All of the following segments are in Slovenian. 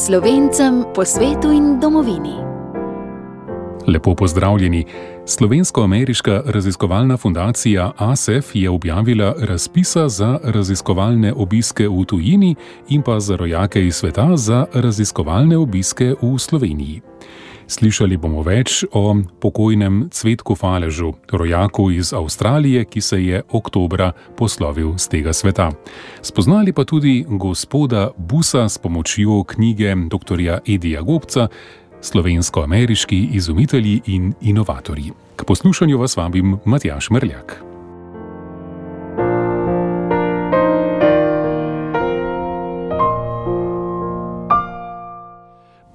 Slovencem po svetu in domovini. Lepo pozdravljeni. Slovensko-ameriška raziskovalna fundacija ASEF je objavila razpisa za raziskovalne obiske v tujini in pa za rojake iz sveta za raziskovalne obiske v Sloveniji. Slišali bomo več o pokojnem Cvetku Faležu, rojaku iz Avstralije, ki se je oktobra poslovil z tega sveta. Spoznali pa tudi gospoda Busa s pomočjo knjige dr. Edija Gobca, Slovensko-ameriški izumitelji in inovatorji. K poslušanju vas vabim Matjaž Merljak.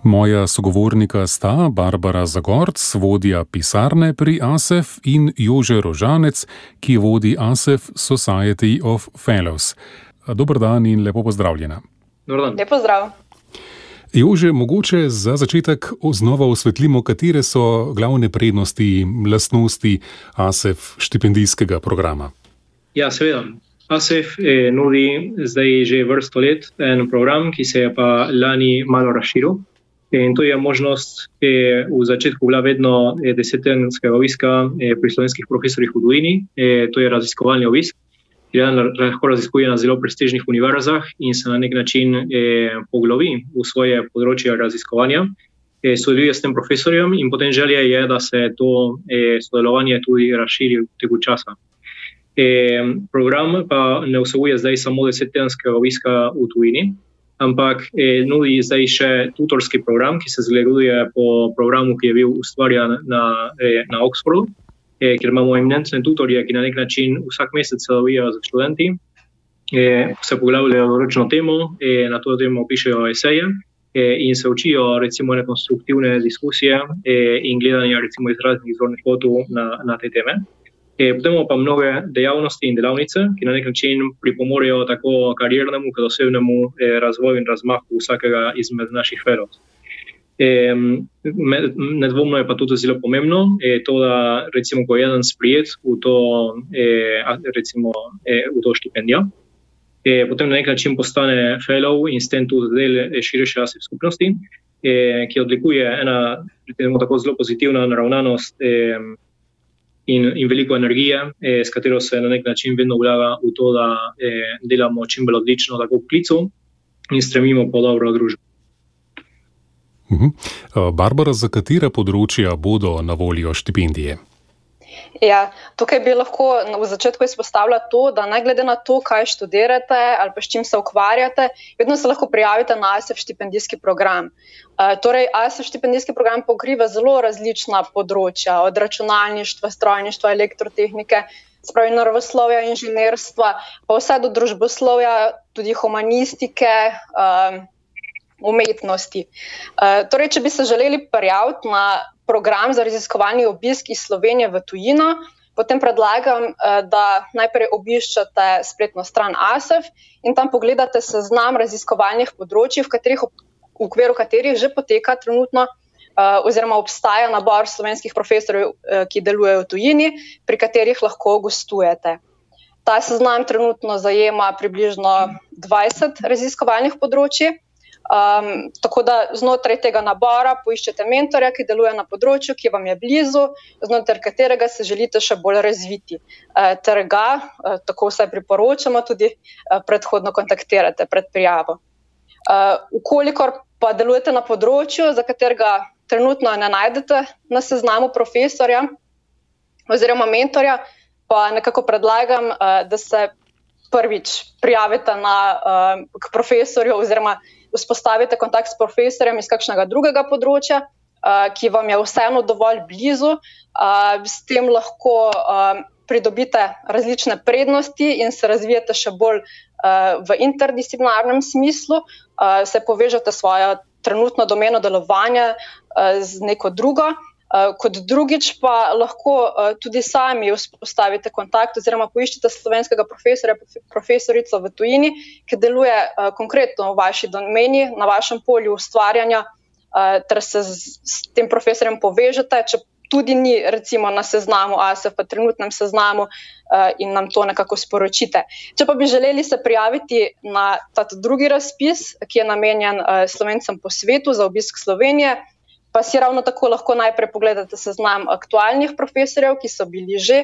Moja sogovornika sta Barbara Zagorc, vodja pisarne pri ASEF, in Jože Rožanec, ki vodi ASEF Society of Fellows. Dober dan in lepo pozdravljena. Dober dan. Lep pozdrav. Jože, mogoče za začetek znova osvetlimo, katere so glavne prednosti, lastnosti ASEF štipendijskega programa. Ja, seveda. ASEF nudi zdaj že vrsto let en program, ki se je pa lani malo razširil. In to je možnost, v začetku bila vedno 10-tedenskega obiska pri slovenskih profesorjih v tujini. To je raziskovalni obisk, ki lahko raziskuje na zelo prestižnih univerzah in se na nek način poglobi v svoje področje raziskovanja. Sodeluje s tem profesorjem in potem želja je, da se to sodelovanje tudi razširi v teku časa. Program pa ne vsebuje zdaj samo 10-tedenskega obiska v tujini, ampak nudi zdaj še tutorski program, ki se zgleduje po programu, ki je bil ustvarjen na Oxfordu, kjer imamo eminentne tutorje, ki na nek način vsak mesec sodelujejo z študenti, se poglavljajo določeno temo, na to temo pišejo eseje in se učijo recimo konstruktivne diskusije in gledanja recimo iz raznih zornih kotov na te teme. Potem pa mnoge dejavnosti in delavnice, ki na nek način pripomorejo tako kariernemu kot osebnemu razvoju in razmahu vsakega izmed naših fellows. Nedvomno je pa tudi zelo pomembno, to, da recimo, ko je eden sprijet v to štipendijo, potem na nek način postane fellow in s tem tudi del širše ASEF skupnosti, ki odlikuje ena tako zelo pozitivna naravnanost in veliko energije, s katero se na nek način vedno vlaga v to, da delamo čim bolj odlično tako v klicu in stremimo po dobro družbo. Barbara, za katera področja bodo na voljo štipendije? Ja, tukaj bi lahko v začetku izpostavila to, da ne glede na to, kaj študirate ali pa s čim se ukvarjate, vedno se lahko prijavite na ASEF štipendijski program. Torej, ASEF štipendijski program pokriva zelo različna področja, od računalništva, strojništva, elektrotehnike, spravi naravoslovja, inženirstva, pa vse do družboslovja, tudi humanistike, umetnosti. Torej, če bi se želeli prijaviti na program za raziskovalni obisk iz Slovenije v tujino, potem predlagam, da najprej obiščete spletno stran ASEF in tam pogledate seznam raziskovalnih področij, v okviru katerih že poteka trenutno oziroma obstaja nabor slovenskih profesorjev, ki delujejo v tujini, pri katerih lahko gostujete. Ta seznam trenutno zajema približno 20 raziskovalnih področij. Tako da znotraj tega nabora poiščete mentorja, ki deluje na področju, ki vam je blizu, znotraj katerega se želite še bolj razviti. Ter ga, tako vsaj priporočamo, tudi predhodno kontaktirate pred prijavo. Ukolikor pa delujete na področju, za katerega trenutno ne najdete na seznamu profesorja oziroma mentorja, pa nekako predlagam, da se prvič prijavite k profesorju oziroma vzpostavite kontakt s profesorjem iz kakšnega drugega področja, ki vam je vseeno dovolj blizu. S tem lahko pridobite različne prednosti in se razvijete še bolj v interdisciplinarnem smislu, se povežete svojo trenutno domeno delovanja z neko drugo. Kot drugič pa lahko tudi sami vzpostavite kontakt oziroma poiščete slovenskega profesorja, profesorico v tujini, ki deluje konkretno v vaši domeni, na vašem polju ustvarjanja, ter se s tem profesorjem povežete, tudi ni recimo na seznamu ASEF, pa trenutnem seznamu in nam to nekako sporočite. Če pa bi želeli se prijaviti na ta drugi razpis, ki je namenjen Slovencem po svetu za obisk Slovenije, pa si ravno tako lahko najprej pogledate seznam aktualnih profesorjev, ki so bili že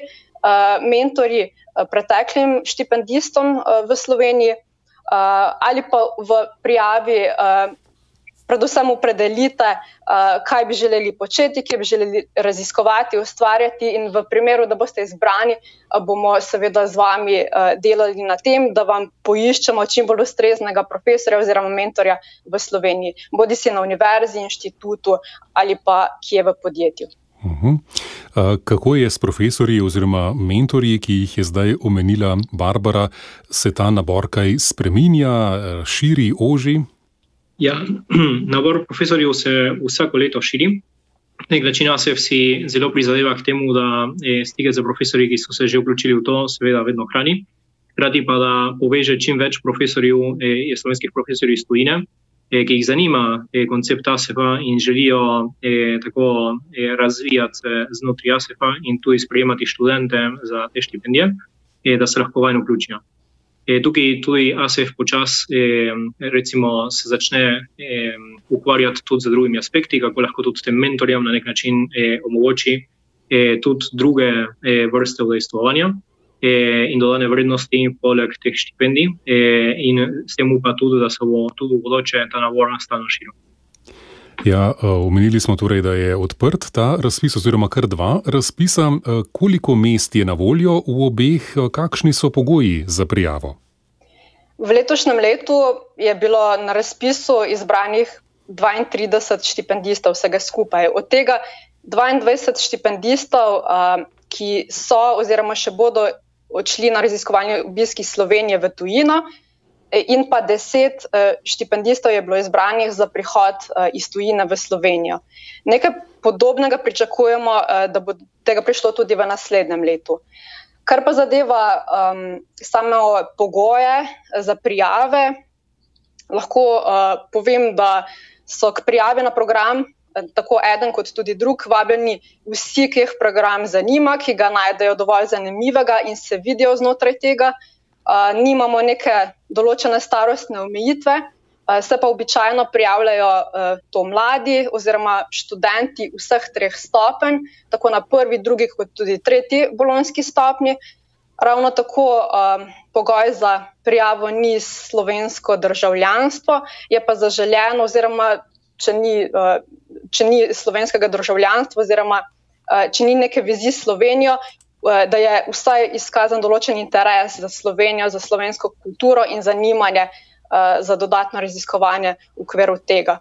mentorji preteklim štipendistom v Sloveniji, ali pa v prijavi predvsem opredelite, kaj bi želeli početi, kje bi želeli raziskovati, ustvarjati, in v primeru, da boste izbrani, bomo seveda z vami delali na tem, da vam poiščemo čim bolj ustreznega profesorja oziroma mentorja v Sloveniji, bodisi na univerzi, inštitutu ali pa kje v podjetju. Kako je s profesorji oziroma mentorji, ki jih je zdaj omenila Barbara, se ta nabor kaj spreminja, širi, oži? Ja, nabor profesorjev se vsako leto širi. Na nek način ASEF si zelo prizadeva k temu, da stike z profesorji, ki so se že vključili v to, seveda vedno hrani. Hkrati pa da poveže čim več profesorjev, slovenskih profesorjev iz tujine, ki jih zanima koncept ASEF-a in želijo tako razvijati znotraj ASEF-a in tudi sprejemati študente za te štipendije, da se lahko vanj vključijo. Tukaj tudi ASEF počasi recimo se začne ukvarjati tudi z drugimi aspekti, kako lahko tudi tem mentorjem na nek način omogoči tudi druge vrste udejstvovanja in dodane vrednosti poleg teh štipendij in s tem upa tudi, da se bo tudi v bodoče ta nabor stalno širil. Ja, omenili smo torej, da je odprt ta razpis oziroma kar 2 razpisa. Koliko mest je na voljo v obeh, kakšni so pogoji za prijavo? V letošnjem letu je bilo na razpisu izbranih 32 štipendistov vsega skupaj. Od tega 22 štipendistov, ki so oziroma še bodo odšli na raziskovalni obisk iz Slovenije v tujino, in pa 10 štipendistov je bilo izbranih za prihod iz tujine v Slovenijo. Nekaj podobnega pričakujemo, da bo tega prišlo tudi v naslednjem letu. Kar pa zadeva samo pogoje za prijave, lahko povem, da so k prijavi na program tako eden kot tudi drug vabljeni vsi, ki jih program zanima, ki ga najdejo dovolj zanimivega in se vidijo znotraj tega. Nimamo neke določene starostne omejitve, se pa običajno prijavljajo to mladi oziroma študenti vseh 3 stopenj, tako na 1., 2. kot tudi 3. bolonjski stopnji. Ravno tako pogoj za prijavo ni slovensko državljanstvo, je pa zaželeno, oziroma če ni slovenskega državljanstva oziroma če ni neke vezi s Slovenijo, da je vsaj izkazan določen interes za Slovenijo, za slovensko kulturo in zanimanje za dodatno raziskovanje v okviru tega.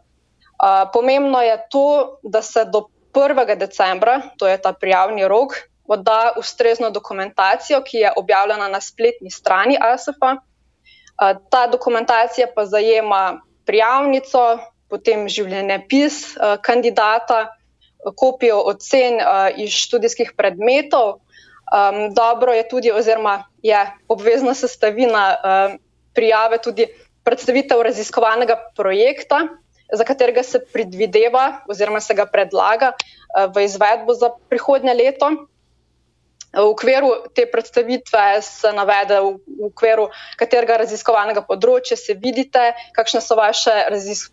Pomembno je to, da se do 1. decembra, to je ta prijavni rok, odda ustrezno dokumentacijo, ki je objavljena na spletni strani ASEF-a. Ta dokumentacija pa zajema prijavnico, potem življenjepis kandidata, kopijo ocen iz študijskih predmetov. Dobro je tudi, oziroma je obvezna sestavina prijave tudi predstavitev raziskovalnega projekta, za katerega se predvideva oziroma se ga predlaga v izvedbo za prihodnje leto. V okviru te predstavitve se navede v okviru katerega raziskovalnega področja se vidite, kakšne so vaše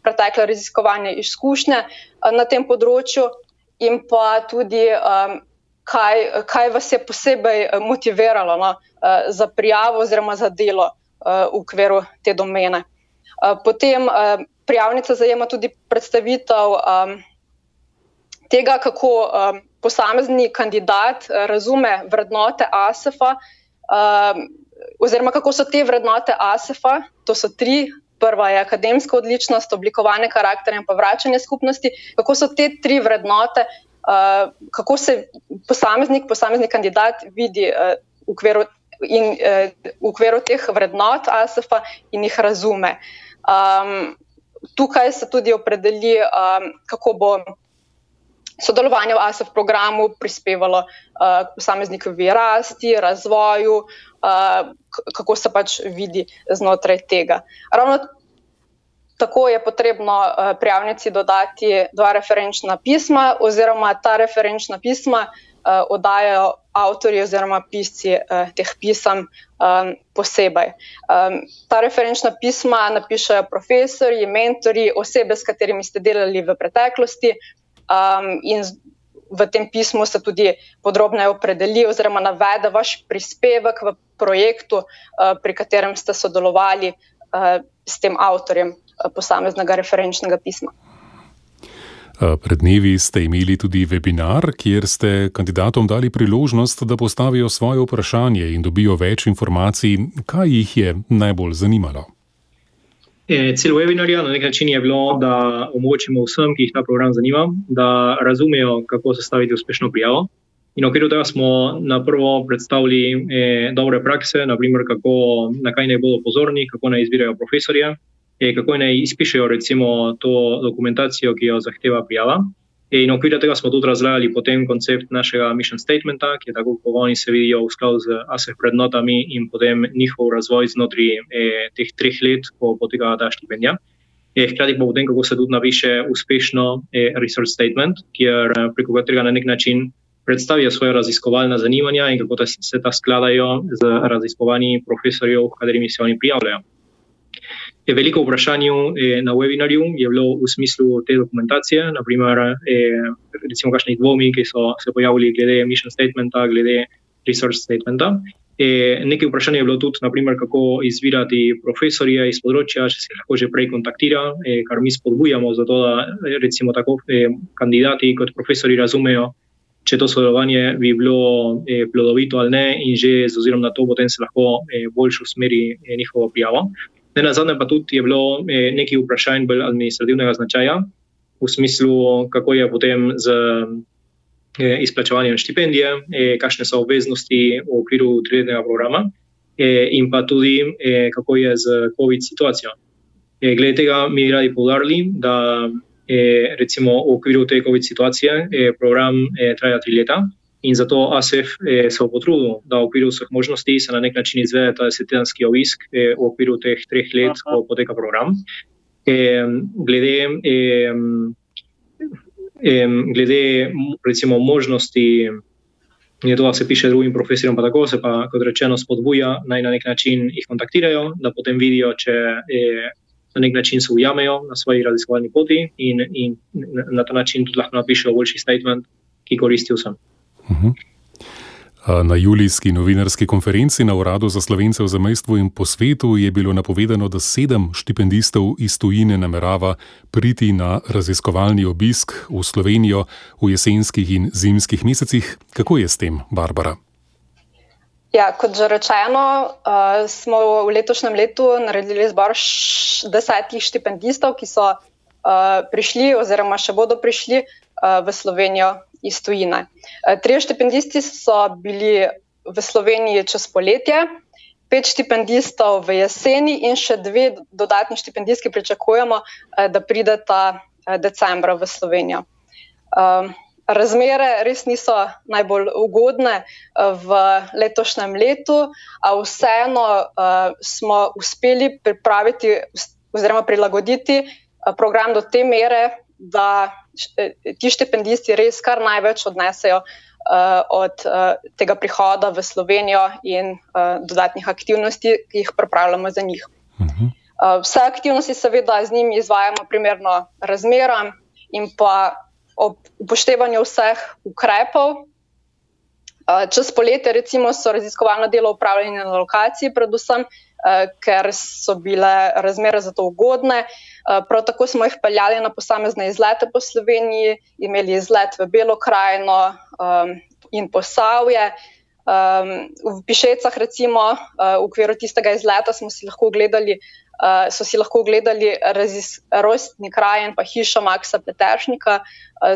pretekle raziskovanje izkušnje na tem področju in pa tudi kaj vas je posebej motiviralo za prijavo oziroma za delo v okviru te domene. Potem prijavnica zajema tudi predstavitev tega, kako posamezni kandidat razume vrednote ASEF-a oziroma kako so te vrednote ASEF-a, to so 3. Prva je akademska odličnost, oblikovanje karakterja in pa vračanje skupnosti. Kako so te 3 vrednote, kako se posamezni kandidat vidi v okviru teh vrednot ASEF-a in jih razume. Tukaj se tudi opredeli, kako bo sodelovanje v ASEF programu prispevalo k posameznikovi rasti, razvoju, kako se pač vidi znotraj tega. Ravno tako je potrebno prijavnici dodati 2 referenčna pisma, oziroma ta referenčna pisma oddajajo avtorji oziroma pisci teh pisem posebej. Ta referenčna pisma napišejo profesorji, mentorji, osebe, s katerimi ste delali v preteklosti, in v tem pismu se tudi podrobneje opredeli oziroma navede vaš prispevek v projektu, pri katerem ste sodelovali s tem avtorjem posameznega referenčnega pisma. Pred dnevi ste imeli tudi webinar, kjer ste kandidatom dali priložnost, da postavijo svoje vprašanje in dobijo več informacij. Kaj jih je najbolj zanimalo? Cilj webinarja na nek način je bilo, da omogočimo vsem, ki jih ta program zanima, da razumejo, kako sestaviti uspešno prijavo. In v okviru tega smo na prvo predstavili dobre prakse, naprimer na kaj naj bodo pozorni, kako naj izbirajo profesorje, kako naj izpišejo recimo to dokumentacijo, ki jo zahteva prijava. In v okviru tega smo tudi razlajali potem koncept našega mission statementa, ki je tako, kako oni se vidijo v skladu z ASEF vrednotami in potem njihov razvoj znotraj teh 3 let, ko poteka ta štipendija. Hkrati pa potem, kako se tudi napiše uspešno research statement, preko katerega na nek način predstavijo svoje raziskovalna zanimanja in kako se ta skladajo z raziskovanji profesorjev, katerimi se oni prijavljajo. Veliko vprašanj na webinarju je bilo v smislu te dokumentacije, naprimer recimo kakšnih dvomi, ki so se pojavili glede mission statementa, glede research statementa. Nekaj vprašanj je bilo tudi, naprimer, kako izbirati profesorje iz področja, če se lahko že prej kontaktira, kar mi spodbujamo, zato da recimo tako kandidati kot profesori razumejo, če to sodelovanje bi bilo plodovito ali ne, in že z ozirom na to potem se lahko boljše usmeri njihovo prijavo. Nenazadnje pa tudi je bilo nekaj vprašanj bolj administrativnega značaja, v smislu, kako je potem z izplačevanjem štipendije, kakšne so obveznosti v okviru 3-letnega programa in pa tudi, kako je z COVID situacijo. Glede tega mi radi poudarili, da recimo v okviru te COVID situacije program traja 3 leta. In zato ASEF se potrudil, da v okviru vseh možnosti se na nek način izvede ta 10-tedenski obisk v okviru teh 3 let, ko poteka program. Glede recimo možnosti, to, da se piše drugim profesorjem, pa tako se pa, kot rečeno, spodbuja, naj na nek način jih kontaktirajo, da potem vidijo, če na nek način se ujamejo na svoji raziskovalni poti in na ta način tudi lahko napišejo boljši statement, ki koristi vsem. Na julijski novinarski konferenci na Uradu za Slovence v zamejstvu in po svetu je bilo napovedano, da 7 štipendistov iz tujine namerava priti na raziskovalni obisk v Slovenijo v jesenskih in zimskih mesecih. Kako je s tem, Barbara? Ja, kot že rečeno, smo v letošnjem letu naredili izbor 10 štipendistov, ki so prišli oziroma še bodo prišli v Slovenijo iz tujine. 3 štipendisti so bili v Sloveniji čez poletje, 5 štipendistov v jeseni in še 2 dodatni štipendistki pričakujemo, da prideta decembra v Slovenijo. Razmere res niso najbolj ugodne v letošnjem letu, a vseeno smo uspeli pripraviti oziroma prilagoditi program do te mere, da ti štipendisti res kar največ odnesejo od tega prihoda v Slovenijo in dodatnih aktivnosti, ki jih pripravljamo za njih. Vse aktivnosti seveda z njimi izvajamo primerno razmeram in pa ob upoštevanju vseh ukrepov. Čez poletje recimo so raziskovalno delo upravljali na lokaciji, predvsem, ker so bile razmere za to ugodne. Prav tako smo jih peljali na posamezne izlete po Sloveniji, imeli izlet v Belo krajino in Posavje. V Pišecah recimo v okviru tistega izleta so si lahko ogledali rojstni kraj in pa hišo Maxa Peteršnika,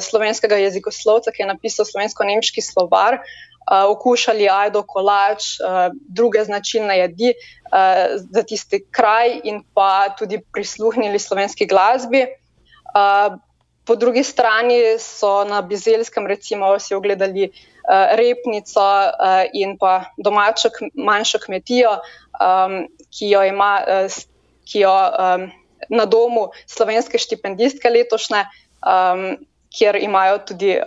slovenskega jezikoslovca, ki je napisal slovensko-nemški slovar, okušali ajdo, kolač, druge značilne jedi za tisti kraj in pa tudi prisluhnili slovenski glasbi. Po drugi strani so na Bizelskem recimo si ogledali repnico in pa domačo manjšo kmetijo, ki jo na domu slovenske štipendistke letošnje, kjer imajo tudi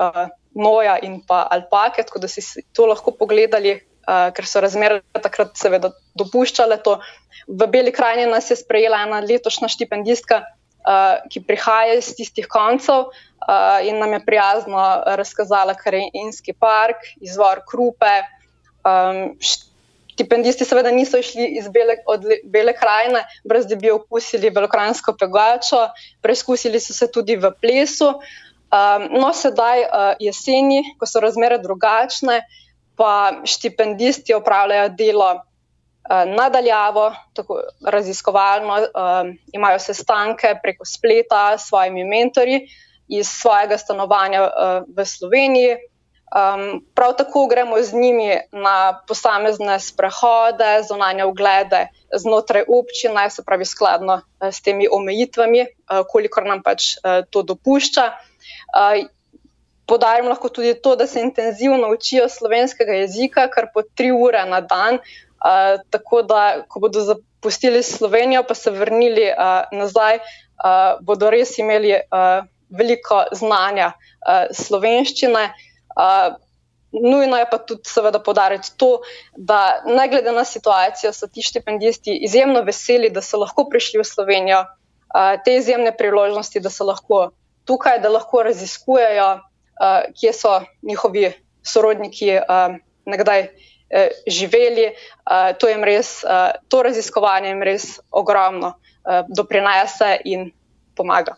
noja in pa alpake, tako da si to lahko pogledali, ker so razmere takrat seveda dopuščale to. V Beli krajini nas je sprejela ena letošnja štipendistka, ki prihaja iz tistih koncev in nam je prijazno razkazala krajinski park, izvor Krupe. Štipendisti seveda niso išli od Bele krajine, brez da bi okusili belokranjsko pegačo, preizkusili so se tudi v plesu. No, sedaj jeseni, ko so razmere drugačne, pa štipendisti opravljajo delo nadaljavo, tako raziskovalno, imajo sestanke preko spleta s svojimi mentorji iz svojega stanovanja v Sloveniji. Prav tako gremo z njimi na posamezne sprehode, zunanje oglede znotraj občine, se pravi skladno s temi omejitvami, kolikor nam pač to dopušča. Podarim lahko tudi to, da se intenzivno učijo slovenskega jezika, kar po 3 ure na dan, tako da, ko bodo zapustili Slovenijo, pa se vrnili nazaj, bodo res imeli veliko znanja slovenščine. Nujno je pa tudi seveda poudariti to, da ne glede na situacijo so ti štipendisti izjemno veseli, da so lahko prišli v Slovenijo, te izjemne priložnosti, da so lahko tukaj, da lahko raziskujejo, kje so njihovi sorodniki nekdaj živeli. To raziskovanje jim res ogromno doprinese in pomaga.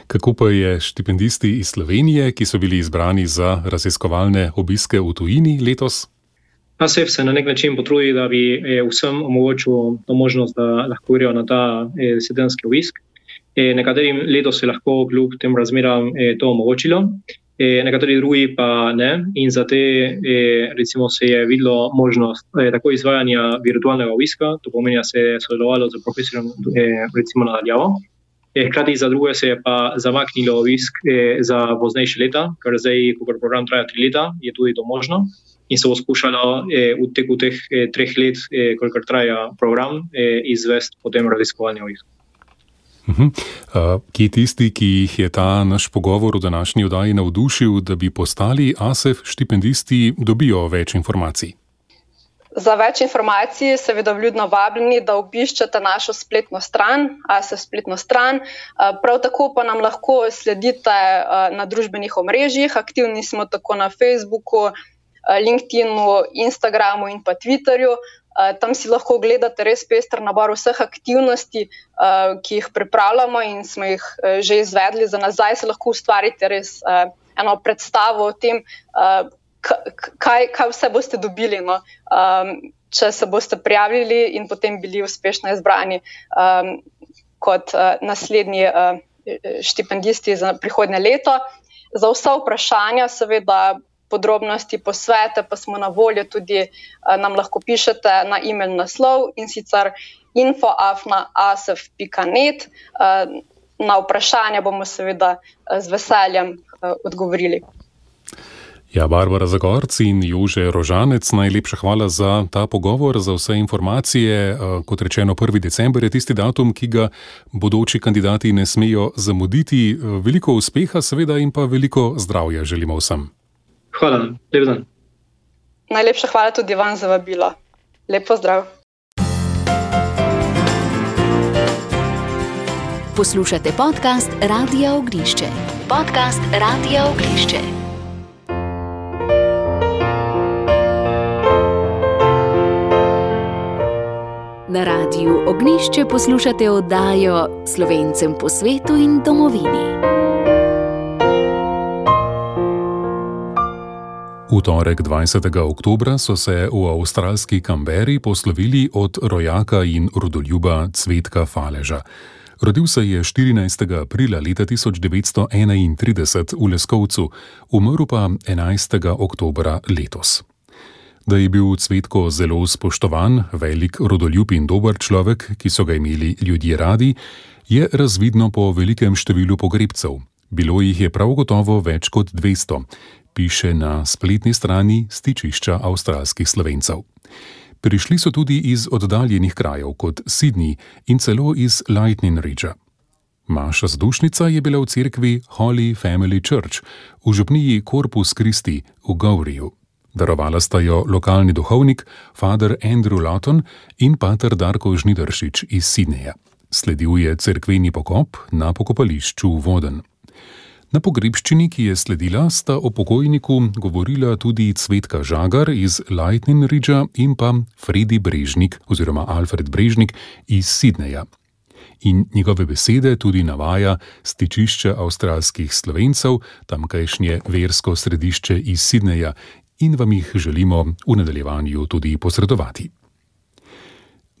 Kako pa je štipendisti iz Slovenije, ki so bili izbrani za raziskovalne obiske v tujini letos? ASEF se na nek način potrudi, da bi vsem omogočil to možnost, da lahko grejo na ta sedenski obisk. Nekaterim letos je lahko kljub tem razmeram to omogočilo, nekateri drugi pa ne. In za te recimo se je videlo možnost tako izvajanja virtualnega obiska, to pomeni, da se je sodelovalo z profesorjem recimo nadaljavo. Hkrati za druge se je pa zamaknilo obisk za poznejše leta, ker zdaj, ko program traja 3 leta, je tudi to možno. In se bo skušalo v teku teh 3 let, kolikor traja program, izvesti potem raziskovalni obisk. Kje tisti, ki jih je ta naš pogovor v današnji oddaji navdušil, da bi postali ASEF štipendisti, dobijo več informacij? Za več informacij seveda vljudno vabljeni, da obiščete našo spletno stran, ASEF spletno stran. Prav tako pa nam lahko sledite na družbenih omrežjih. Aktivni smo tako na Facebooku, LinkedInu, Instagramu in pa Twitterju. Tam si lahko ogledate res pester nabor vseh aktivnosti, ki jih pripravljamo in smo jih že izvedli. Za nazaj se lahko ustvarite res eno predstavo o tem, kaj vse boste dobili, no? Če se boste prijavili in potem bili uspešno izbrani kot naslednji štipendisti za prihodnje leto. Za vsa vprašanja, seveda podrobnosti, posvete, pa smo na voljo tudi, nam lahko pišete na e-mail naslov, in sicer info@asef.net. Na vprašanja bomo seveda z veseljem odgovorili. Ja, Barbara Zagorc in Jože Rožanec, najlepša hvala za ta pogovor, za vse informacije. Kot rečeno, 1. december je tisti datum, ki ga bodoči kandidati ne smejo zamuditi. Veliko uspeha seveda in pa veliko zdravja želimo vsem. Hvala, lep dan. Najlepša hvala tudi vam za vabilo. Lep pozdrav. Poslušate podcast Radia Ognjišče. Podcast Radia Ognjišče. Na Radiu Ognjišče poslušate oddajo Slovencem po svetu in domovini. V torek 20. oktobra so se v avstralski Canberri poslovili od rojaka in rodoljuba Cvetka Faleža. Rodil se je 14. aprila leta 1931 v Leskovcu, umrl pa 11. oktobra letos. Da je bil Cvetko zelo spoštovan, velik rodoljub in dober človek, ki so ga imeli ljudje radi, je razvidno po velikem številu pogrebcev. Bilo jih je prav gotovo več kot 200, piše na spletni strani Stičišča avstralskih Slovencev. Prišli so tudi iz oddaljenih krajev kot Sydney in celo iz Lightning Ridgea. Maša zdušnica je bila v cerkvi Holy Family Church v župniji Corpus Christi v Gowriju. Darovala sta jo lokalni duhovnik, Father Andrew Lawton in pater Darko Žnidaršič iz Sydneyja. Sledil je cerkveni pokop na pokopališču Woden. Na pogrebščini, ki je sledila, sta o pokojniku govorila tudi Cvetka Žagar iz Lightning Ridgea in pa Fredi Brežnik oziroma Alfred Brežnik iz Sydneyja. In njegove besede tudi navaja stičišče avstralskih Slovencev, tamkajšnje versko središče iz Sydneyja, in vam jih želimo v nadaljevanju tudi posredovati.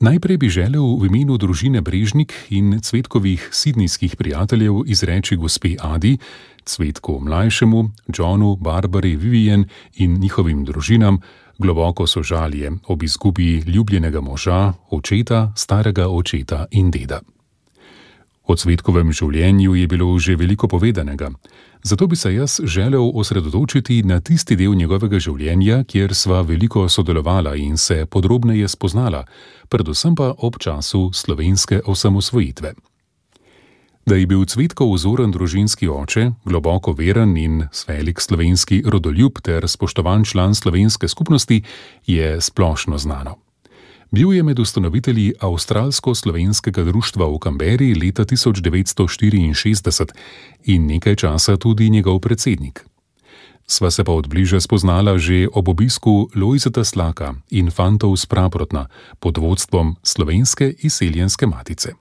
Najprej bi želel v imenu družine Brežnik in Cvetkovih sidnijskih prijateljev izreči gospe Adi, Cvetku mlajšemu, Johnu, Barbari, Vivian in njihovim družinam globoko sožalje ob izgubi ljubljenega moža, očeta, starega očeta in deda. O Cvetkovem življenju je bilo že veliko povedanega, zato bi se jaz želel osredotočiti na tisti del njegovega življenja, kjer sva veliko sodelovala in se podrobneje spoznala, predvsem pa ob času slovenske osamosvojitve. Da je bil Cvetkov vzoren družinski oče, globoko veren in velik slovenski rodoljub ter spoštovan član slovenske skupnosti, je splošno znano. Bil je med ustanovitelji Avstralsko-slovenskega društva v Canberri leta 1964 in nekaj časa tudi njegov predsednik. Sva se pa odbliže spoznala že ob obisku Lojzeta Slaka in fantov s Praprotna pod vodstvom Slovenske izseljenske matice.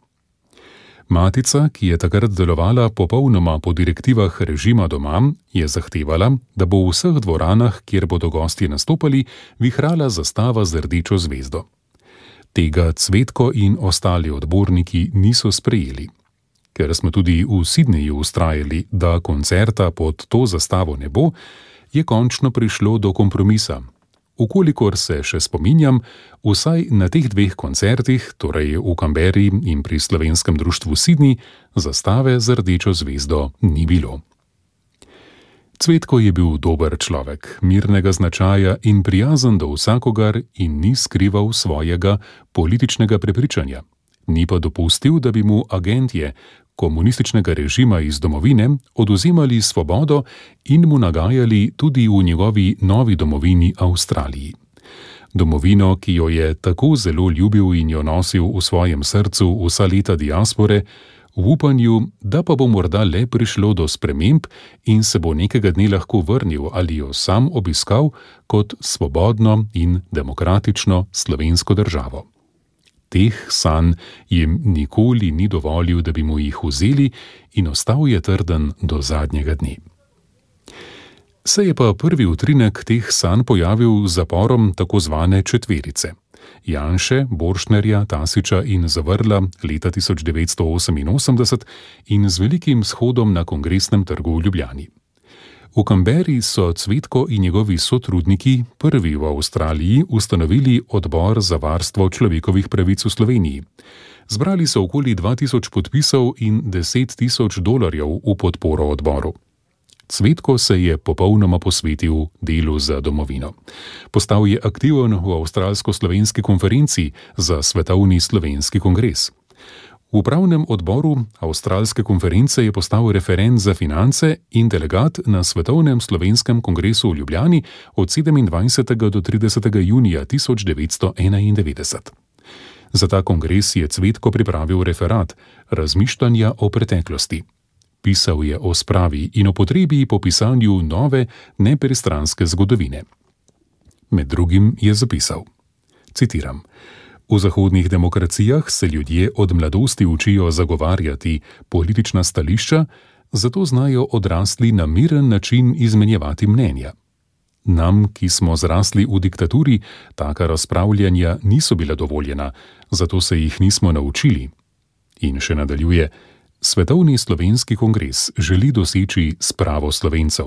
Matica, ki je takrat delovala popolnoma po direktivah režima doma, je zahtevala, da bo v vseh dvoranah, kjer bodo gostje nastopali, vihrala zastava z rdečo zvezdo. Tega Cvetko in ostali odborniki niso sprejeli. Ker smo tudi v Sydneyju vztrajali, da koncerta pod to zastavo ne bo, je končno prišlo do kompromisa. Ukolikor se še spominjam, vsaj na teh dveh koncertih, torej v Canberri in pri slovenskem društvu Sydney, zastave z rdečo zvezdo ni bilo. Cvetko je bil dober človek, mirnega značaja in prijazen do vsakogar in ni skrival svojega političnega prepričanja. Ni pa dopustil, da bi mu agentje komunističnega režima iz domovine odvzemali svobodo in mu nagajali tudi v njegovi novi domovini Avstraliji. Domovino, ki jo je tako zelo ljubil in jo nosil v svojem srcu vsa leta diaspore, v upanju, da pa bo morda le prišlo do sprememb in se bo nekega dne lahko vrnil ali jo sam obiskal kot svobodno in demokratično slovensko državo. Teh sanj jim nikoli ni dovolil, da bi mu jih vzeli, in ostal je trden do zadnjega dne. Se je pa prvi utrinek teh sanj pojavil z zaporom tako zvane četverice. Janše, Borštnerja, Tasiča in Zavrla leta 1988 in z velikim shodom na Kongresnem trgu v Ljubljani. V Canberri so Cvetko in njegovi sotrudniki prvi v Avstraliji ustanovili odbor za varstvo človekovih pravic v Sloveniji. Zbrali so okoli 2000 podpisov in $10,000 v podporo odboru. Cvetko se je popolnoma posvetil delu za domovino. Postal je aktiven v Avstralsko-slovenski konferenci za svetovni slovenski kongres. V upravnem odboru Avstralske konference je postal referent za finance in delegat na svetovnem slovenskem kongresu v Ljubljani od 27. do 30. junija 1991. Za ta kongres je Cvetko pripravil referat Razmišljanja o preteklosti. Pisal je o spravi in o potrebi po pisanju nove, nepristranske zgodovine. Med drugim je zapisal, citiram, v zahodnih demokracijah se ljudje od mladosti učijo zagovarjati politična stališča, zato znajo odrasli na miren način izmenjevati mnenja. Nam, ki smo zrasli v diktaturi, taka razpravljanja niso bila dovoljena, zato se jih nismo naučili. In še nadaljuje, Svetovni slovenski kongres želi doseči spravo Slovencev.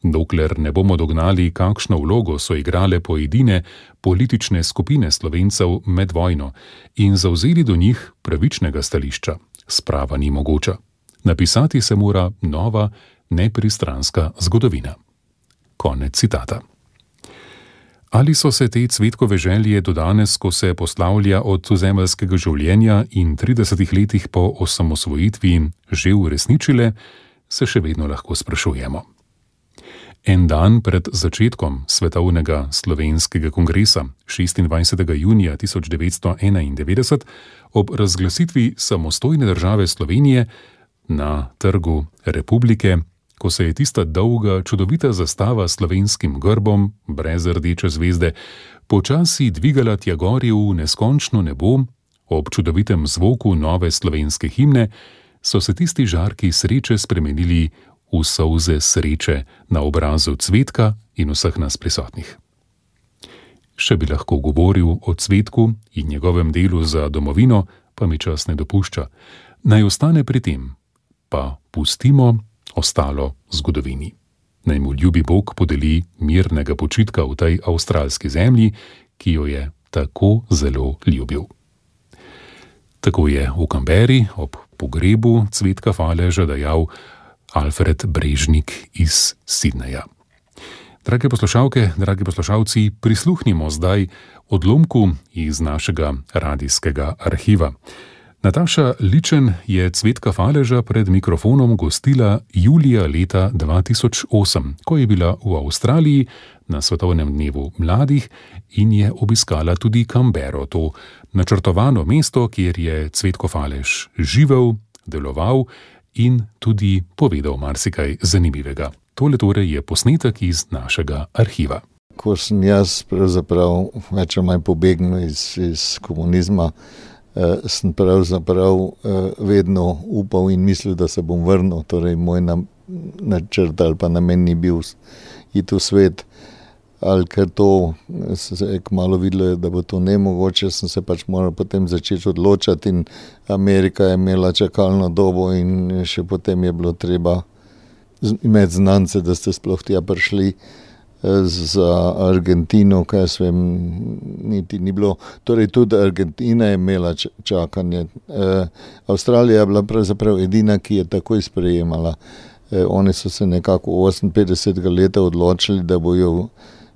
Dokler ne bomo dognali, kakšno vlogo so igrale pojedine politične skupine Slovencev med vojno in zavzeli do njih pravičnega stališča, sprava ni mogoča. Napisati se mora nova, nepristranska zgodovina. Konec citata. Ali so se te Cvetkove želje do danes, ko se poslavlja od zemeljskega življenja in 30 letih po osamosvojitvi, že uresničile, se še vedno lahko sprašujemo. En dan pred začetkom Svetovnega slovenskega kongresa 26. junija 1991 ob razglasitvi samostojne države Slovenije na Trgu Republike, ko se je tista dolga, čudovita zastava s slovenskim grbom, brez rdeče zvezde, počasi dvigala tja gori v neskončno nebo, ob čudovitem zvoku nove slovenske himne, so se tisti žarki sreče spremenili v solze sreče na obrazu Cvetka in vseh nas prisotnih. Še bi lahko govoril o Cvetku in njegovem delu za domovino, pa mi čas ne dopušča. Naj ostane pri tem, pa pustimo ostalo zgodovini. Naj mu ljubi Bog podeli mirnega počitka v tej avstralski zemlji, ki jo je tako zelo ljubil. Tako je v Canberri ob pogrebu Cvetka Faleža dejal Alfred Brežnik iz Sydneyja. Drage poslušalke, dragi poslušalci, prisluhnimo zdaj odlomku iz našega radijskega arhiva. Nataša Ličen je Cvetka Faleža pred mikrofonom gostila julija leta 2008, ko je bila v Avstraliji na Svetovnem dnevu mladih in je obiskala tudi Canberro, to načrtovano mesto, kjer je Cvetko Falež živel, deloval in tudi povedal marsikaj zanimivega. Tole torej je posnetek iz našega arhiva. Ko sem jaz pravzaprav več ali manj pobegnil iz komunizma, sem pravzaprav vedno upal in mislil, da se bom vrnil. Torej, moj načrt ali pa namen ni bil iti v svet. Ali ker to se je kmalu videlo, da bo to nemogoče, sem se pač moral potem začeti odločati in Amerika je imela čakalno dobo in še potem je bilo treba imeti znance, da ste sploh tja prišli. Za Argentino, kaj jaz vem, niti ni bilo. Torej tudi Argentina je imela čakanje. Avstralija je bila pravzaprav edina, ki je takoj sprejemala. Oni so se nekako 58. leta odločili, da bojo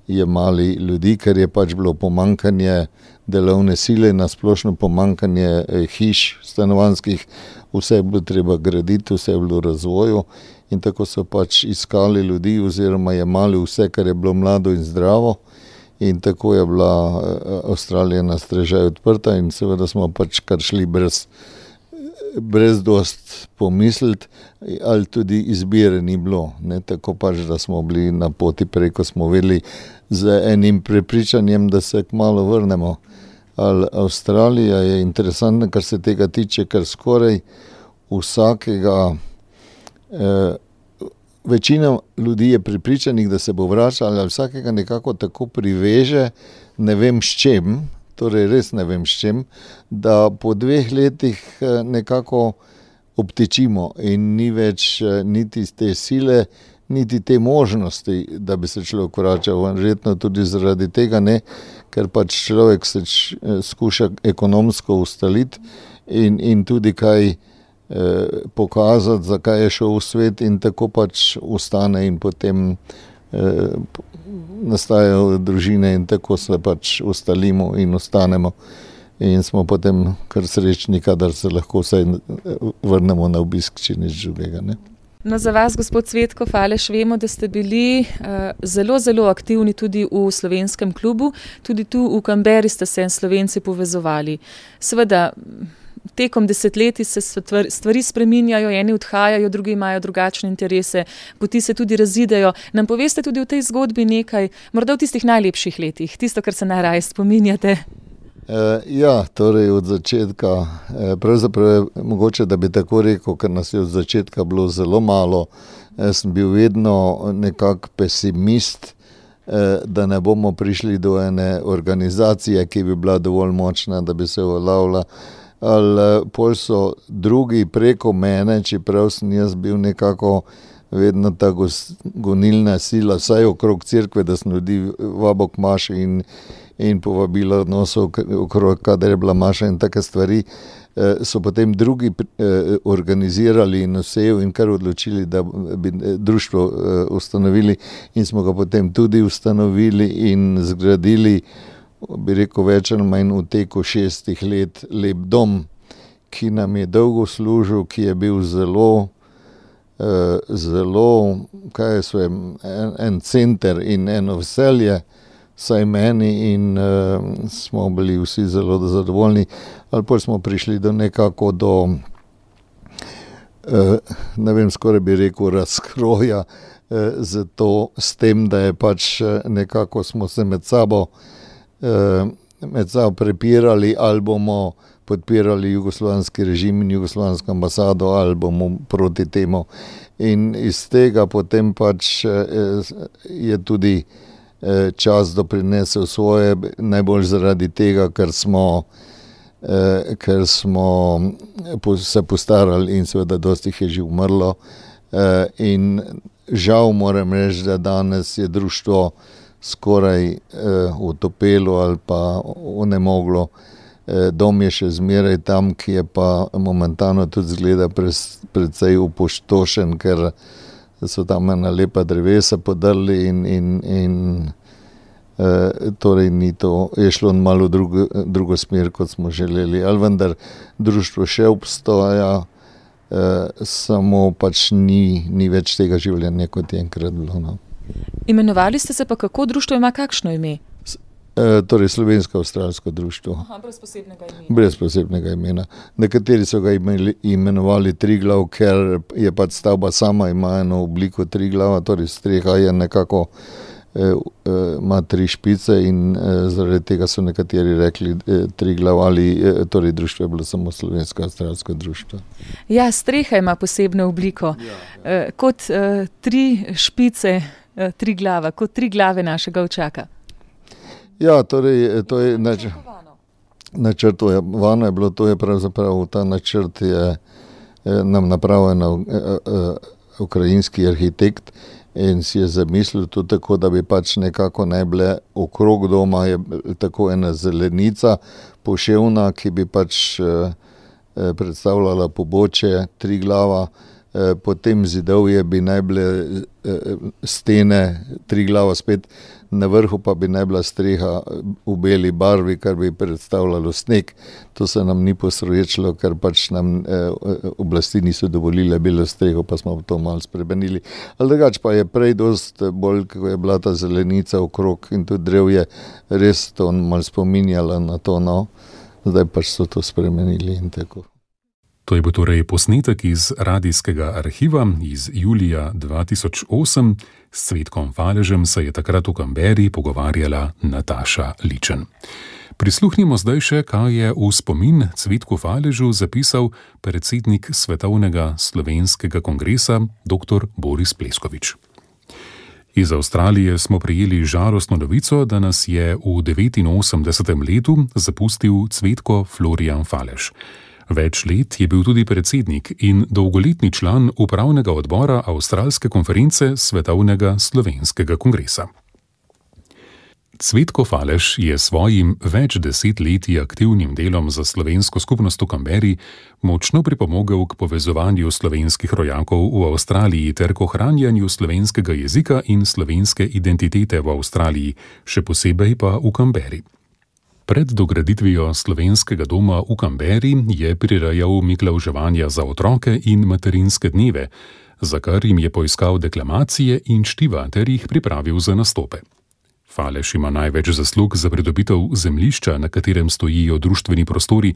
jemali ljudi, ker je pač bilo pomankanje delovne sile, nasplošno pomankanje hiš stanovanjskih, vse je bilo treba graditi, vse je bilo v razvoju in tako so pač iskali ljudi oziroma jemali vse, kar je bilo mlado in zdravo in tako je bila Avstralija na strežaj odprta in seveda smo pač kar šli brez dost pomisliti, ali tudi izbire ni bilo. Ne, tako pač, da smo bili na poti preko, smo vedeli z enim prepričanjem, da se kmalu vrnemo. Avstralija je interesantna, kar se tega tiče, ker skoraj vsakega, večina ljudi je prepričanih, da se bo vračala, ali vsakega nekako tako priveže, ne vem s čem, torej res ne vem s čem, da po 2 letih nekako obtečimo in ni več niti te sile, niti te možnosti, da bi se človek vračal. Verjetno tudi zaradi tega ne, ker pač človek se skuša ekonomsko ustaliti in tudi kaj pokazati, zakaj je šel v svet in tako pač ustane in potem nastajajo družine in tako se pač ustalimo in ostanemo in smo potem kar srečni, kadar se lahko vsaj vrnemo na obisk, če nič drugega, ne. No, za vas, gospod Cvetko Falež, vemo, da ste bili zelo, zelo aktivni tudi v slovenskem klubu, tudi tu v Canberri ste se Slovenci povezovali. Seveda, tekom desetletij se stvari spreminjajo, eni odhajajo, drugi imajo drugačne interese, poti se tudi razidejo. Nam poveste tudi v tej zgodbi nekaj, morda v tistih najlepših letih, tisto, kar se najraje spominjate? Ja, torej od začetka, pravzaprav je mogoče, da bi tako rekel, ker nas je od začetka bilo zelo malo. Jaz sem bil vedno nekak pesimist, da ne bomo prišli do ene organizacije, ki bi bila dovolj močna, da bi se uveljavila. Ali pol so drugi preko mene, čeprav sem jaz bil nekako vedno ta gonilna sila, vsaj okrog cerkve, da sem ljudi vabil k maši in povabila odnosov okrog, kadar je bila maša in take stvari. so potem drugi organizirali in vsejo in kar odločili, da bi društvo ustanovili in smo ga potem tudi ustanovili in zgradili, bi rekel, več ali manj v teku 6 let lep dom, ki nam je dolgo služil, ki je bil zelo, kaj je svoj, en center in eno veselje, saj meni, in smo bili vsi zelo zadovoljni. Ali pa smo prišli do nekako do, ne vem, skoraj bi rekel razkroja, zato s tem, da je pač nekako smo se med sabo prepirali, ali bomo podpirali jugoslovanski režim in jugoslovansko ambasado, ali bomo proti temu. In iz tega potem pač je tudi čas doprinesel svoje, najbolj zaradi tega, ker smo se postarali in seveda dosti jih je že umrlo. In žal moram reči, da danes je društvo skoraj utopelo ali pa onemoglo. Dom je še zmeraj tam, ki je pa momentano tudi zgleda precej opustošen, ker so tam ena lepa drevesa podrli in torej ni to, je šlo malo drugo smer, kot smo želeli. Ali vendar društvo še obstoja, samo pač ni več tega življenja, kot je enkrat bilo. No. Imenovali ste se pa kako, društvo ima kakšno ime? Torej Slovensko-avstralsko društvo. Aha, brez posebnega imena. Brez posebnega imena. Nekateri so ga imenovali Triglav, ker je pač stavba sama, ima eno obliko triglava, torej streha je nekako, ima 3 špice in zaradi tega so nekateri rekli Triglav, ali torej društvo je bilo samo Slovensko-avstralsko društvo. Ja, streha ima posebno obliko. Ja. Kot 3 špice Triglava, kot 3 glave našega očaka. Ja, torej, to je načrtovano je bilo, to je pravzaprav, ta načrt je nam napravil ukrajinski arhitekt in si je zamislil to tako, da bi pač nekako naj bile okrog doma je tako ena zelenica poševna, ki bi pač predstavljala pobočje Triglava, potem zidovje bi naj bile stene Triglava spet, na vrhu pa bi naj bila streha v beli barvi, kar bi predstavljalo sneg. To se nam ni posrečilo, ker pač nam oblasti niso dovolile belo streho, pa smo to malo spremenili. Ali drugače pa je prej dost bolj, kako je bila ta zelenica okrog in tudi drevje, res to malo spominjala na to, no. Zdaj pač so to spremenili in tako. To je bil torej posnetek iz radijskega arhiva iz julija 2008. S Cvetkom Faležem se je takrat v Canberri pogovarjala Nataša Ličen. Prisluhnimo zdaj še, kaj je v spomin Cvetku Faležu zapisal predsednik Svetovnega slovenskega kongresa dr. Boris Pleskovič. Iz Avstralije smo prejeli žalostno novico, da nas je v 89. letu zapustil Cvetko Florijan Falež. Več let je bil tudi predsednik in dolgoletni član upravnega odbora Avstralske konference Svetovnega slovenskega kongresa. Cvetko Falež je svojim več desetletji aktivnim delom za slovensko skupnost v Canberri močno pripomogel k povezovanju slovenskih rojakov v Avstraliji ter k ohranjanju slovenskega jezika in slovenske identitete v Avstraliji, še posebej pa v Canberri. Pred dograditvijo slovenskega doma v Canberri je prirejal miklavževanja za otroke in materinske dneve, za kar jim je poiskal deklamacije in čtiva ter jih pripravil za nastope. Falež ima največ zaslug za pridobitev zemljišča, na katerem stojijo društveni prostori,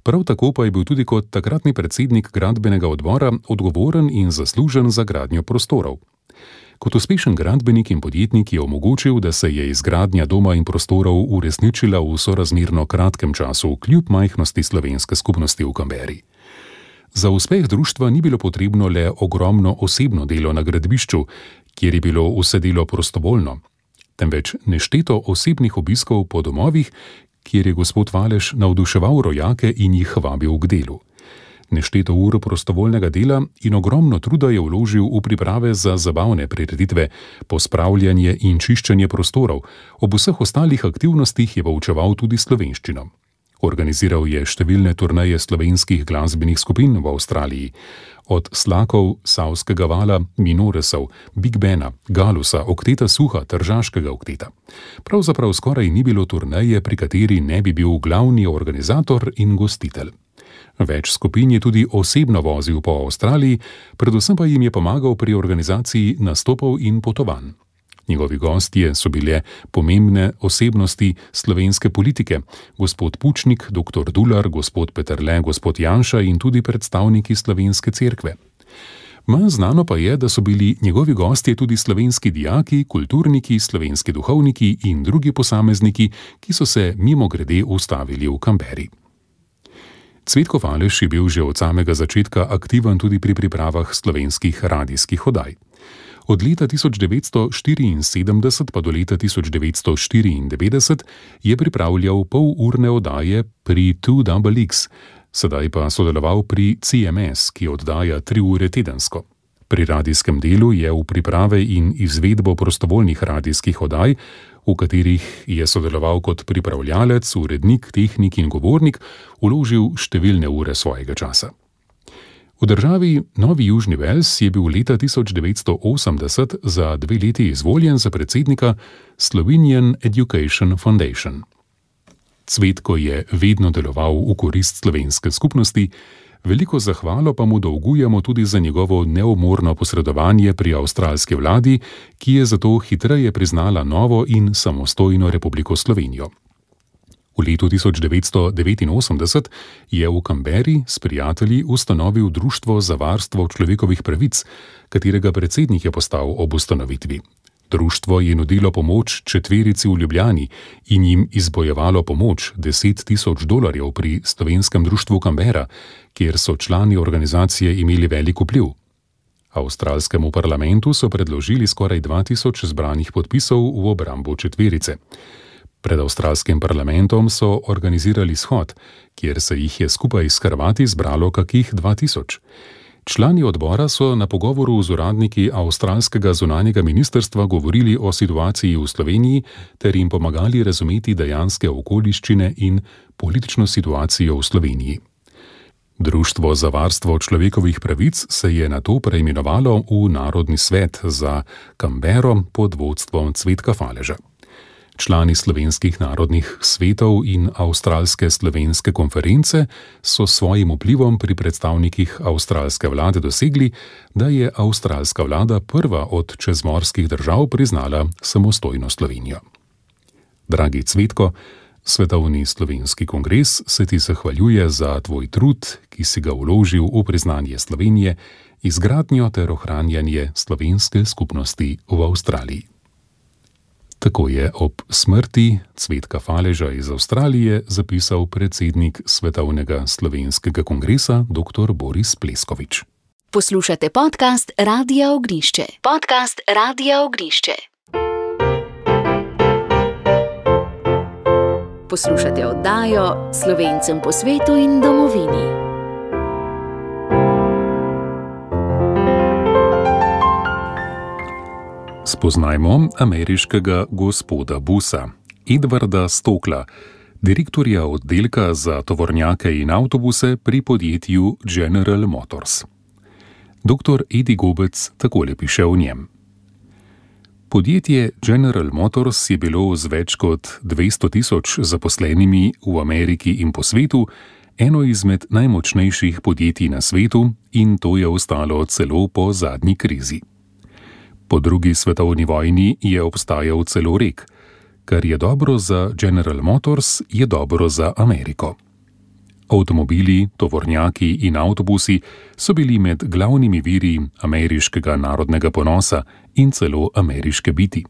prav tako pa je bil tudi kot takratni predsednik gradbenega odbora odgovoren in zaslužen za gradnjo prostorov. Kot uspešen gradbenik in podjetnik je omogočil, da se je izgradnja doma in prostorov uresničila v sorazmerno kratkem času, kljub majhnosti slovenske skupnosti v Canberri. Za uspeh društva ni bilo potrebno le ogromno osebno delo na gradbišču, kjer je bilo vse delo prostovoljno, temveč nešteto osebnih obiskov po domovih, kjer je gospod Falež navduševal rojake in jih vabil k delu. Nešteto ur prostovoljnega dela in ogromno truda je vložil v priprave za zabavne prireditve, pospravljanje in čiščenje prostorov, ob vseh ostalih aktivnostih je poučeval tudi slovenščino. Organiziral je številne turneje slovenskih glasbenih skupin v Avstraliji, od Slakov, Savskega vala, Minoresov, Big Bena, Galusa, Okteta Suha, Tržaškega okteta. Pravzaprav skoraj ni bilo turneje, pri kateri ne bi bil glavni organizator in gostitelj. Več skupin je tudi osebno vozil po Avstraliji, predvsem pa jim je pomagal pri organizaciji nastopov in potovanj. Njegovi gostje so bile pomembne osebnosti slovenske politike, gospod Pučnik, dr. Dular, gospod Peterle, gospod Janša in tudi predstavniki slovenske cerkve. Manj znano pa je, da so bili njegovi gostje tudi slovenski dijaki, kulturniki, slovenski duhovniki in drugi posamezniki, ki so se mimogrede ustavili v Canberri. Cvetko Faleš je bil že od samega začetka aktiven tudi pri pripravah slovenskih radijskih oddaj. Od leta 1974 pa do leta 1994 je pripravljal polurne oddaje pri 2XX, sedaj pa sodeloval pri CMS, ki oddaja 3 ure tedensko. Pri radijskem delu je v priprave in izvedbo prostovoljnih radijskih oddaj, v katerih je sodeloval kot pripravljalec, urednik, tehnik in govornik, vložil številne ure svojega časa. V državi Novi Južni Vels je bil leta 1980 za 2 leti izvoljen za predsednika Slovenian Education Foundation. Cvetko je vedno deloval v korist slovenske skupnosti, veliko zahvalo pa mu dolgujemo tudi za njegovo neumorno posredovanje pri avstralski vladi, ki je zato hitreje priznala novo in samostojno Republiko Slovenijo. V letu 1989 je v Canberri s prijatelji ustanovil Društvo za varstvo človekovih pravic, katerega predsednik je postal ob ustanovitvi. Društvo je nudilo pomoč 4 v Ljubljani in jim izbojevalo pomoč $10,000 pri slovenskem društvu Canberra, kjer so člani organizacije imeli velik vpliv. Avstralskemu parlamentu so predložili skoraj 2000 zbranih podpisov v obrambo 4. Pred avstralskim parlamentom so organizirali shod, kjer se jih je skupaj s Hrvati zbralo kakih 2000. Člani odbora so na pogovoru z uradniki avstralskega zunanjega ministrstva govorili o situaciji v Sloveniji ter jim pomagali razumeti dejanske okoliščine in politično situacijo v Sloveniji. Društvo za varstvo človekovih pravic se je nato preimenovalo v Narodni svet za Canberro pod vodstvom Cvetka Faleža. Člani slovenskih narodnih svetov in avstralske slovenske konference so s svojim vplivom pri predstavnikih avstralske vlade dosegli, da je avstralska vlada prva od čezmorskih držav priznala samostojno Slovenijo. Dragi Cvetko, Svetovni slovenski kongres se ti zahvaljuje za tvoj trud, ki si ga vložil v priznanje Slovenije, izgradnjo ter ohranjanje slovenske skupnosti v Avstraliji. Tako je ob smrti Cvetka Faleža iz Avstralije zapisal predsednik Svetovnega slovenskega kongresa dr. Boris Pleskovič. Poslušate podcast Radia Ognišče. Podcast Radia Ognišče. Poslušate oddajo Slovencem po svetu in domovini. Spoznajmo ameriškega gospoda Busa, Edwarda Stokla, direktorja oddelka za tovornjake in avtobuse pri podjetju General Motors. Dr. Eddie Gobec takole piše o njem. Podjetje General Motors je bilo z več kot 200,000 zaposlenimi v Ameriki in po svetu eno izmed najmočnejših podjetij na svetu in to je ostalo celo po zadnji krizi. Po drugi svetovni vojni je obstajal celo rek: kar je dobro za General Motors, je dobro za Ameriko. Avtomobili, tovornjaki in avtobusi so bili med glavnimi viri ameriškega narodnega ponosa in celo ameriške biti.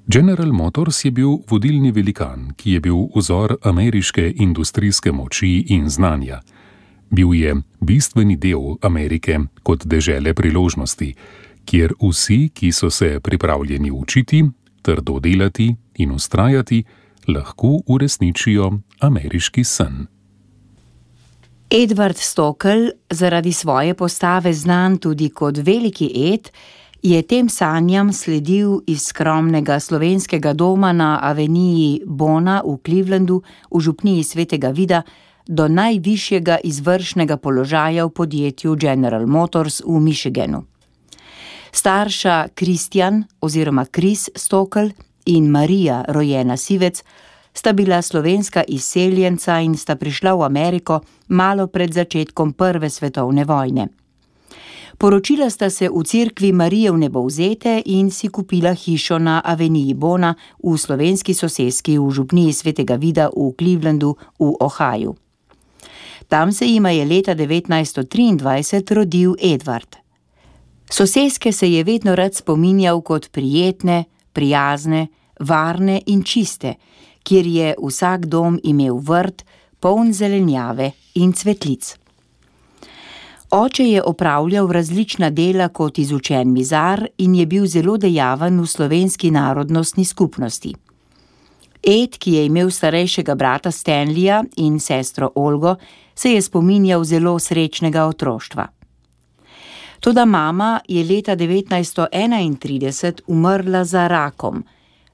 General Motors je bil vodilni velikan, ki je bil vzor ameriške industrijske moči in znanja. Bil je bistveni del Amerike kot dežele priložnosti, kjer vsi, ki so se pripravljeni učiti, trdo delati in vztrajati, lahko uresničijo ameriški sen. Edward Stokl, zaradi svoje postave znan tudi kot veliki Ed, je tem sanjam sledil iz skromnega slovenskega doma na aveniji Bona v Clevelandu v župniji Svetega Vida do najvišjega izvršnega položaja v podjetju General Motors v Michiganu. Starša Kristjan oziroma Kris Stokl in Marija, rojena Sivec, sta bila slovenska izseljenca in sta prišla v Ameriko malo pred začetkom Prve svetovne vojne. Poročila sta se v cerkvi Marije Vnebovzete in si kupila hišo na aveniji Bona v slovenski soseski v župniji Svetega Vida v Clevelandu v Ohaju. Tam se jima je leta 1923 rodil Edvard. Soseske se je vedno rad spominjal kot prijetne, prijazne, varne in čiste, kjer je vsak dom imel vrt, poln zelenjave in cvetlic. Oče je opravljal različna dela kot izučen mizar in je bil zelo dejaven v slovenski narodnostni skupnosti. Ed, ki je imel starejšega brata Stanleya in sestro Olgo, se je spominjal zelo srečnega otroštva. Toda mama je leta 1931 umrla za rakom,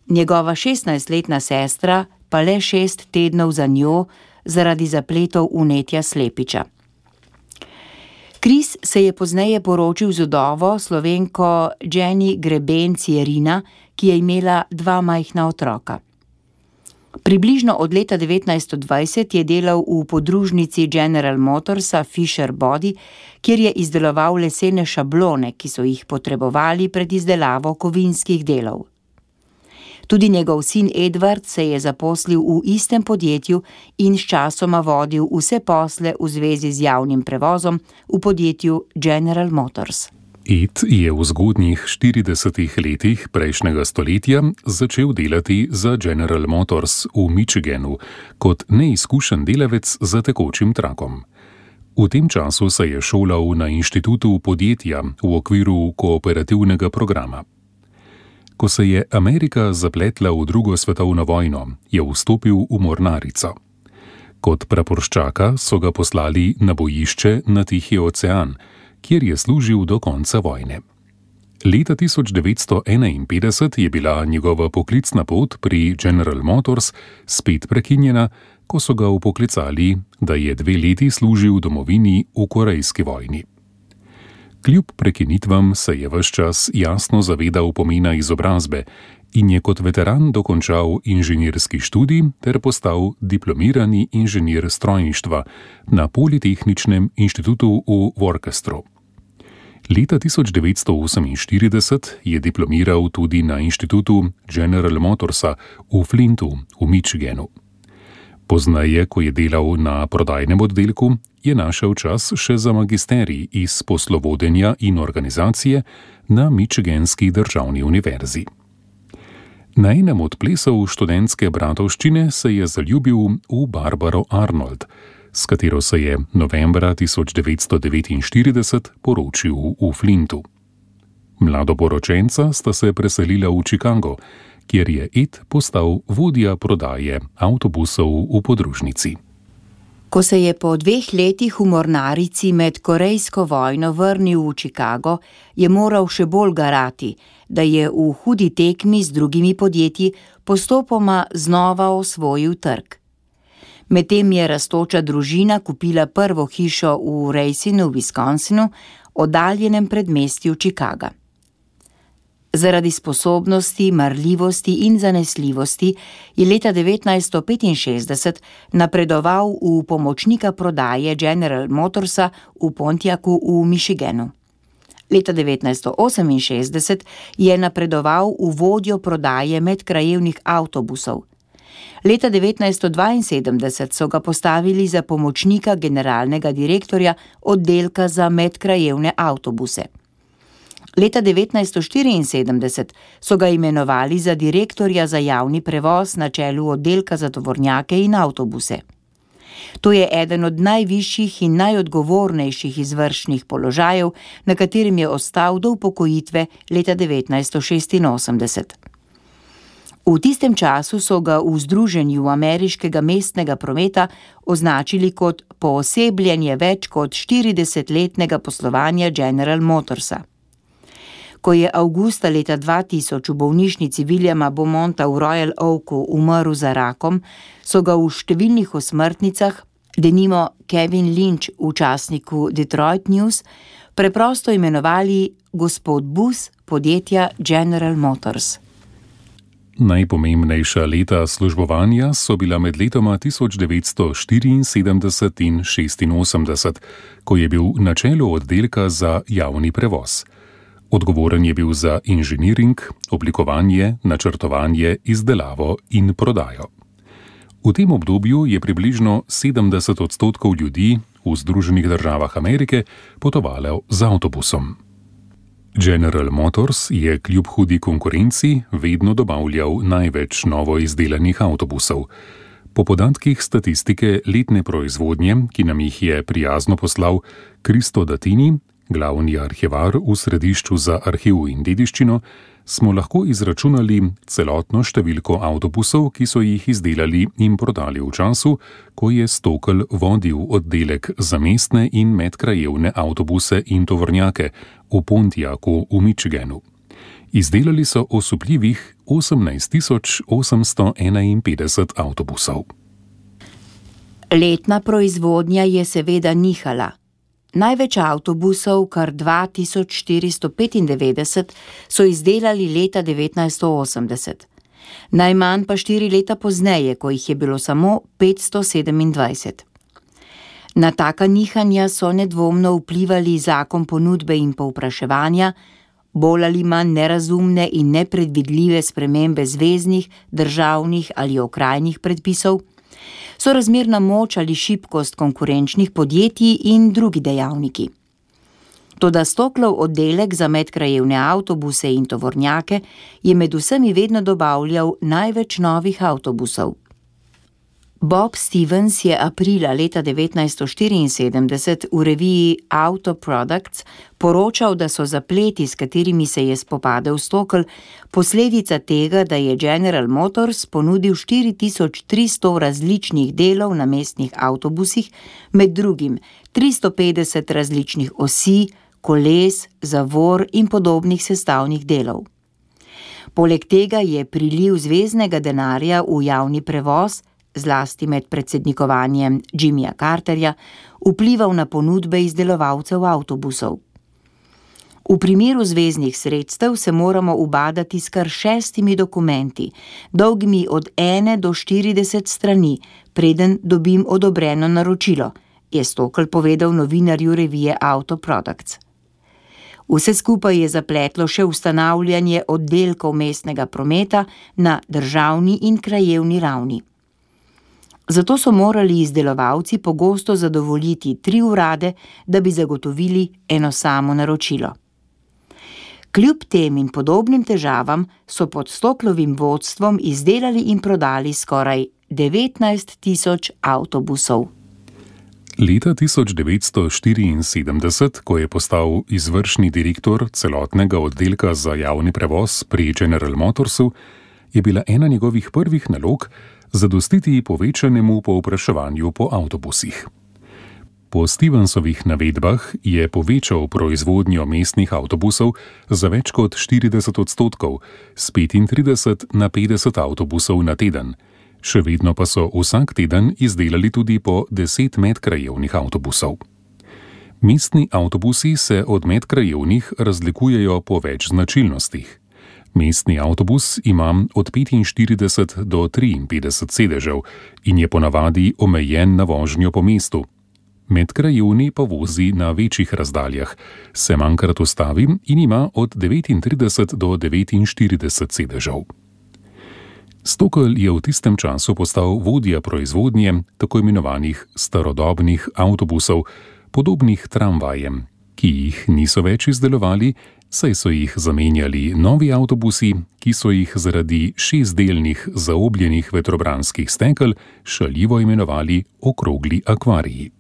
njegova 16-letna sestra pa le 6 tednov za njo zaradi zapletov vnetja slepiča. Kris se je pozneje poročil z vdovo Slovenko Jenny Grebenc-Jerina, ki je imela 2 majhna otroka. Približno od leta 1920 je delal v podružnici General Motorsa Fisher Body, kjer je izdeloval lesene šablone, ki so jih potrebovali pred izdelavo kovinskih delov. Tudi njegov sin Edward se je zaposlil v istem podjetju in sčasoma vodil vse posle v zvezi z javnim prevozom v podjetju General Motors. Ed je v zgodnjih 40 letih prejšnjega stoletja začel delati za General Motors v Michiganu kot neizkušen delavec za tekočim trakom. V tem času se je šolal na inštitutu podjetja v okviru kooperativnega programa. Ko se je Amerika zapletla v drugo svetovno vojno, je vstopil v mornarico. Kot praporščaka so ga poslali na bojišče na Tihi ocean, kjer je služil do konca vojne. Leta 1951 je bila njegova poklicna pot pri General Motors spet prekinjena, ko so ga vpoklicali, da je 2 leti služil domovini v Korejski vojni. Kljub prekinitvam se je ves čas jasno zavedal pomena izobrazbe in je kot veteran dokončal inženirski študij ter postal diplomirani inženir strojništva na Politehničnem inštitutu v Worcesteru. Leta 1948 je diplomiral tudi na inštitutu General Motorsa v Flintu v Michiganu. Pozneje, ko je delal na prodajnem oddelku, je našel čas še za magisterij iz poslovodenja in organizacije na Michiganski državni univerzi. Na enem od plesov študentske bratovščine se je zaljubil v Barbaro Arnold, s katero se je novembra 1949 poročil v Flintu. Mladoporočenca sta se preselila v Chicago, kjer je Ed postal vodja prodaje avtobusov v podružnici. Ko se je po 2 letih v mornarici med Korejsko vojno vrnil v Chicago, je moral še bolj garati, da je v hudi tekmi z drugimi podjetji postopoma znova osvojil trg. Medtem je rastoča družina kupila prvo hišo v Racinu v Wisconsinu, oddaljenem predmestju Chicaga. Zaradi sposobnosti, marljivosti in zanesljivosti je leta 1965 napredoval v pomočnika prodaje General Motorsa v Pontiacu v Michiganu. Leta 1968 je napredoval v vodjo prodaje medkrajevnih avtobusov. Leta 1972 so ga postavili za pomočnika generalnega direktorja oddelka za medkrajevne avtobuse. Leta 1974 so ga imenovali za direktorja za javni prevoz na čelu oddelka za tovornjake in avtobuse. To je eden od najvišjih in najodgovornejših izvršnih položajev, na katerem je ostal do upokojitve leta 1986. V tistem času so ga v Združenju ameriškega mestnega prometa označili kot poosebljenje več kot 40-letnega poslovanja General Motorsa. Ko je avgusta leta 2000 v bolnišnici Williama Beaumonta v Royal Oaku umrl za rakom, so ga v številnih osmrtnicah, denimo Kevin Lynch v časniku Detroit News, preprosto imenovali gospod Bus podjetja General Motors. Najpomembnejša leta službovanja so bila med letoma 1974 in 1986, ko je bil na čelu oddelka za javni prevoz. Odgovoren je bil za inženiring, oblikovanje, načrtovanje, izdelavo in prodajo. V tem obdobju je približno 70% ljudi v Združenih državah Amerike potovalo z avtobusom. General Motors je kljub hudi konkurenci vedno dobavljal največ novo izdelanih avtobusov. Po podatkih statistike letne proizvodnje, ki nam jih je prijazno poslal Kristo Datini, glavni arhivar v Središču za arhiv in dediščino, smo lahko izračunali celotno številko avtobusov, ki so jih izdelali in prodali v času, ko je Stokl vodil oddelek za mestne in medkrajevne avtobuse in tovornjake v Pontiacu v Michiganu. Izdelali so osupljivih 18.851 avtobusov. Letna proizvodnja je seveda nihala. Največ avtobusov, kar 2495, so izdelali leta 1980. Najmanj pa 4 leta pozneje, ko jih je bilo samo 527. Na taka nihanja so nedvomno vplivali zakon ponudbe in povpraševanja, bolj ali manj nerazumne in nepredvidljive spremembe zveznih, državnih ali okrajnih predpisov, sorazmerna moč ali šibkost konkurenčnih podjetij in drugi dejavniki. Toda Stoklov oddelek za medkrajevne avtobuse in tovornjake je med vsemi vedno dobavljal največ novih avtobusov. Bob Stevens je aprila leta 1974 v reviji Auto Products poročal, da so zapleti, s katerimi se je spopadel Stokl, posledica tega, da je General Motors ponudil 4300 različnih delov na mestnih avtobusih, med drugim 350 različnih osi, koles, zavor in podobnih sestavnih delov. Poleg tega je priliv zveznega denarja v javni prevoz, zlasti med predsednikovanjem Jimmyja Carterja, vplival na ponudbe izdelovalcev avtobusov. V primeru zveznih sredstev se moramo ubadati s kar 6 dokumenti, dolgimi od 1 do 40 strani, preden dobim odobreno naročilo, je Stokl povedal novinarju revije Auto Products. Vse skupaj je zapletlo še ustanavljanje oddelkov mestnega prometa na državni in krajevni ravni. Zato so morali izdelovalci pogosto zadovoljiti 3 urade, da bi zagotovili eno samo naročilo. Kljub tem in podobnim težavam so pod Stoklovim vodstvom izdelali in prodali skoraj 19.000 avtobusov. Leta 1974, ko je postal izvršni direktor celotnega oddelka za javni prevoz pri General Motorsu, je bila ena njegovih prvih nalog zadostiti povečanemu povpraševanju po avtobusih. Po Stevensovih navedbah je povečal proizvodnjo mestnih avtobusov za več kot 40%, z 35 na 50 avtobusov na teden. Še vedno pa so vsak teden izdelali tudi po 10 medkrajevnih avtobusov. Mestni avtobusi se od medkrajevnih razlikujejo po več značilnostih. Mestni avtobus ima od 45 do 53 sedežev in je ponavadi omejen na vožnjo po mestu. Medkrajevni pa vozi na večjih razdaljah, se manjkrat ustavi in ima od 39 do 49 sedežev. Stokl je v tistem času postal vodja proizvodnje tako imenovanih starodobnih avtobusov, podobnih tramvajem, ki jih niso več izdelovali, saj so jih zamenjali novi avtobusi, ki so jih zaradi 6-delnih zaobljenih vetrobranskih stekel šaljivo imenovali okrogli akvariji.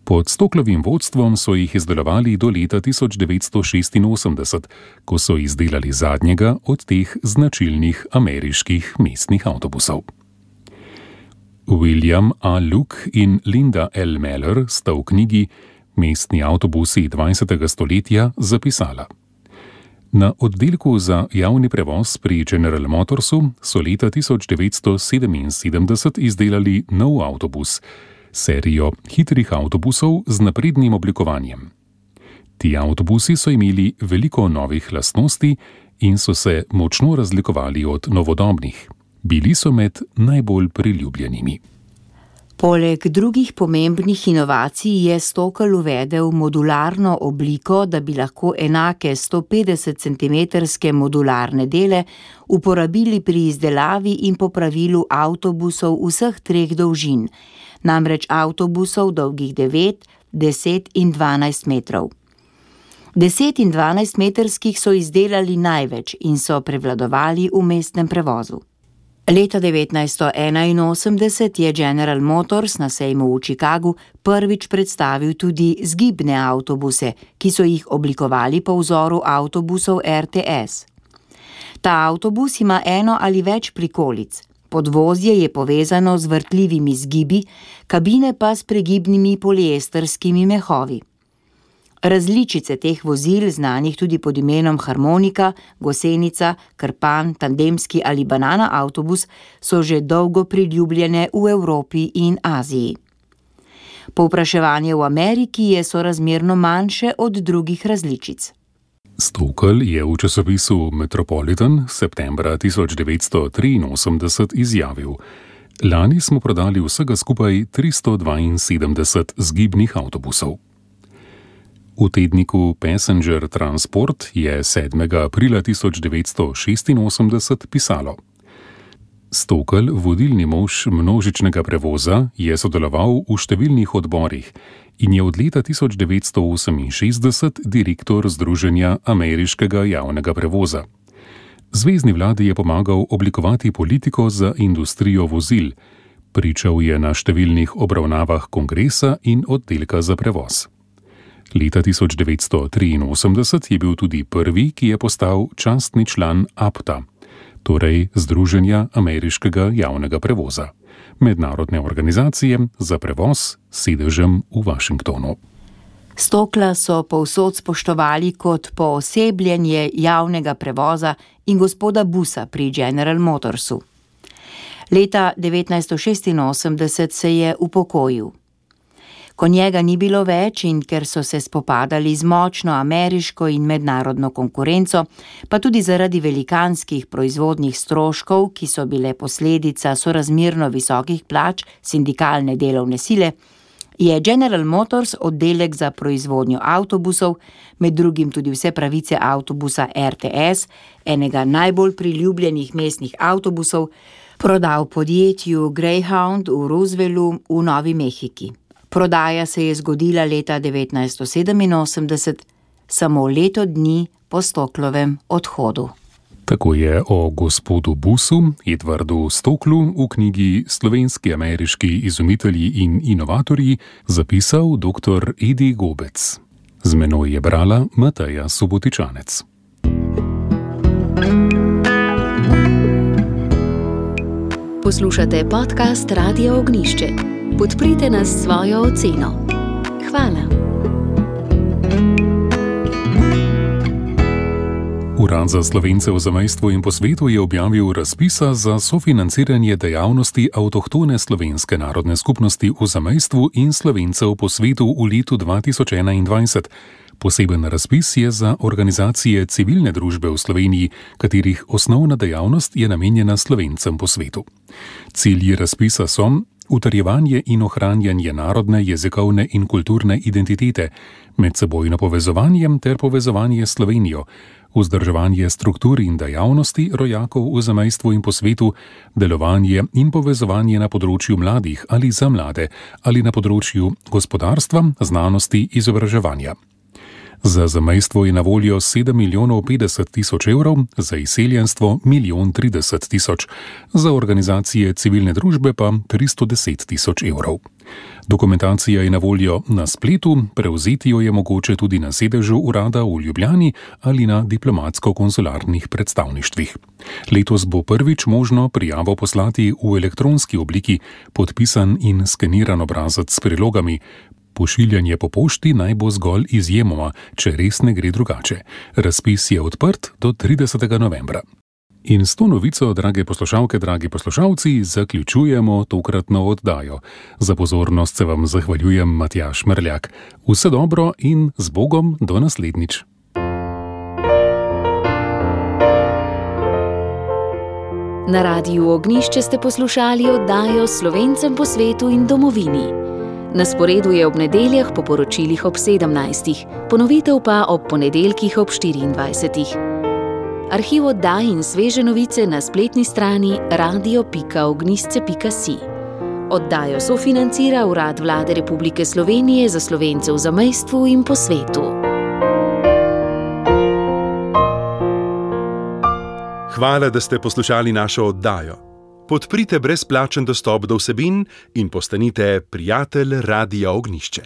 Pod Stoklovim vodstvom so jih izdelovali do leta 1986, ko so izdelali zadnjega od teh značilnih ameriških mestnih avtobusov. William A. Luke in Linda L. Meller sta v knjigi Mestni avtobusi 20. stoletja zapisala: Na oddelku za javni prevoz pri General Motorsu so leta 1977 izdelali nov avtobus, serijo hitrih avtobusov z naprednim oblikovanjem. Ti avtobusi so imeli veliko novih lastnosti in so se močno razlikovali od novodobnih. Bili so med najbolj priljubljenimi. Poleg drugih pomembnih inovacij je Stokl uvedel modularno obliko, da bi lahko enake 150 cm modularne dele uporabili pri izdelavi in popravilu avtobusov vseh 3 dolžin, namreč avtobusov dolgih 9, 10 in 12 metrov. 10 in 12 metrskih so izdelali največ in so prevladovali v mestnem prevozu. Leta 1981 je General Motors na sejmu v Chicagu prvič predstavil tudi zgibne avtobuse, ki so jih oblikovali po vzoru avtobusov RTS. Ta avtobus ima 1 ali več prikolic. Podvozje je povezano z vrtljivimi zgibi, kabine pa s pregibnimi poliestrskimi mehovi. Različice teh vozil, znanih tudi pod imenom harmonika, gosenica, krpan, tandemski ali banana avtobus, so že dolgo priljubljene v Evropi in Aziji. Povpraševanje v Ameriki je sorazmerno manjše od drugih različic. Stokl je v časopisu Metropolitan septembra 1983 izjavil: "Lani smo prodali vsega skupaj 372 zgibnih avtobusov." V tedniku Passenger Transport je 7. aprila 1986 pisalo: Stokl, vodilni mož množičnega prevoza, je sodeloval v številnih odborih in je od leta 1968 direktor Združenja ameriškega javnega prevoza. Zvezni vladi je pomagal oblikovati politiko za industrijo vozil, pričal je na številnih obravnavah kongresa in oddelka za prevoz. Leta 1983 je bil tudi prvi, ki je postal častni član APTA, torej Združenja ameriškega javnega prevoza, mednarodne organizacije za prevoz s sedežem v Washingtonu. Stokla so povsod spoštovali kot poosebljenje javnega prevoza in gospoda Busa pri General Motorsu. Leta 1986 se je upokojil. Ko njega ni bilo več in ker so se spopadali z močno ameriško in mednarodno konkurenco, pa tudi zaradi velikanskih proizvodnih stroškov, ki so bile posledica sorazmerno visokih plač sindikalne delovne sile, je General Motors oddelek za proizvodnjo avtobusov, med drugim tudi vse pravice avtobusa RTS, enega najbolj priljubljenih mestnih avtobusov, prodal podjetju Greyhound v Roswellu v Novi Mehiki. Prodaja se je zgodila leta 1987, samo leto dni po Stoklovem odhodu. Tako je o gospodu Busu, Edvardu Stoklu, v knjigi Slovenski ameriški izumitelji in inovatorji zapisal dr. Edi Gobec. Z menoj je brala Mateja Subotičanec. Poslušate podcast Radia Ognišče. Podprite nas s svojo oceno. Hvala. Urad za Slovence v zamejstvu in po svetu je objavil razpisa za sofinanciranje dejavnosti avtohtone slovenske narodne skupnosti v zamejstvu in Slovencev po svetu v letu 2021. Poseben razpis je za organizacije civilne družbe v Sloveniji, katerih osnovna dejavnost je namenjena Slovencem po svetu. Cilji razpisa so utrjevanje in ohranjanje narodne, jezikovne in kulturne identitete, medsebojno povezovanje ter povezovanje s Slovenijo, vzdrževanje struktur in dejavnosti rojakov v zamejstvu in po svetu, delovanje in povezovanje na področju mladih ali za mlade ali na področju gospodarstva, znanosti, izobraževanja. Za zamejstvo je na voljo 7.050.000 evrov, za izseljenstvo 1.030.000, za organizacije civilne družbe pa 310.000 evrov. Dokumentacija je na voljo na spletu, prevzeti jo je mogoče tudi na sedežu urada v Ljubljani ali na diplomatsko-konzularnih predstavništvih. Letos bo prvič možno prijavo poslati v elektronski obliki, podpisan in skeniran obrazec s prilogami. Pošiljanje po pošti naj bo zgolj izjemoma, če res ne gre drugače. Razpis je odprt do 30. novembra. In s to novico, drage poslušalke, dragi poslušalci, zaključujemo tokratno oddajo. Za pozornost se vam zahvaljujem, Matjaž Merljak. Vse dobro in z Bogom do naslednjič. Na Radiu Ognjišče ste poslušali oddajo Slovencem po svetu in domovini. Na sporedu je ob nedeljah po poročilih ob 17. Ponovitev pa ob ponedeljkih ob 24. Arhiv oddaj in sveže novice na spletni strani radio.ognjišče.si. Oddajo sofinancira Urad Vlade Republike Slovenije za Slovence v zamejstvu in po svetu. Hvala, da ste poslušali našo oddajo. Podprite brezplačen dostop do vsebin in postanite prijatelj Radia Ognjišče.